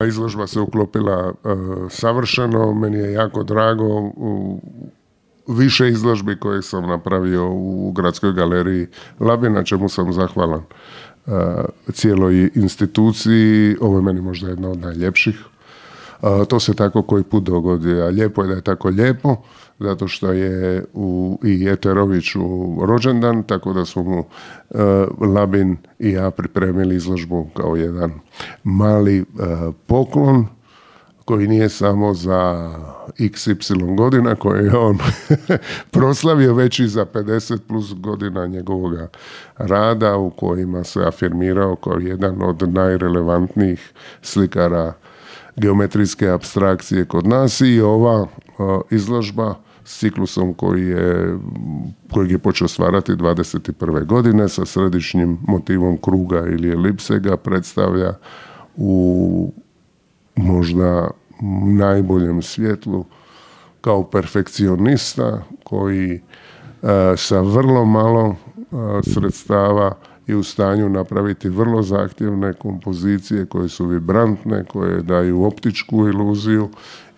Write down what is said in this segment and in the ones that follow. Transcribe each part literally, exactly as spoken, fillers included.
Izložba se uklopila uh, savršeno, meni je jako drago. U više izložbi koje sam napravio u Gradskoj galeriji Labin, na čemu sam zahvalan uh, cijeloj instituciji. Ovo je meni možda jedna od najljepših. Uh, to se tako koji put dogodi, a lijepo je da je tako lijepo, zato što je u, i Eteroviću rođendan, tako da su mu uh, Labin i ja pripremili izložbu kao jedan mali uh, poklon koji nije samo za iks ipsilon godina koje je on proslavio, već i za pedeset plus godina njegovog rada u kojima se afirmirao kao jedan od najrelevantnijih slikara geometrijske apstrakcije kod nas. I ova uh, izložba s ciklusom koji je, kojeg je počeo stvarati dvadeset prve godine sa središnjim motivom kruga ili elipse ga predstavlja u možda najboljem svjetlu kao perfekcionista koji uh, sa vrlo malo uh, sredstava i u stanju napraviti vrlo zahtjevne kompozicije koje su vibrantne, koje daju optičku iluziju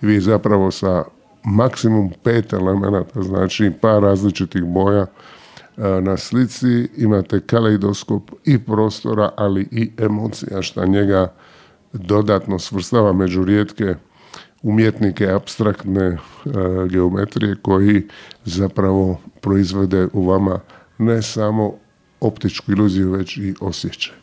i vi zapravo sa maksimum pet elemenata, znači par različitih boja na slici imate kaleidoskop i prostora, ali i emocija, što njega dodatno svrstava među rijetke umjetnike apstraktne e, geometrije koji zapravo proizvode u vama ne samo optičku iluziju, već i osjećaj.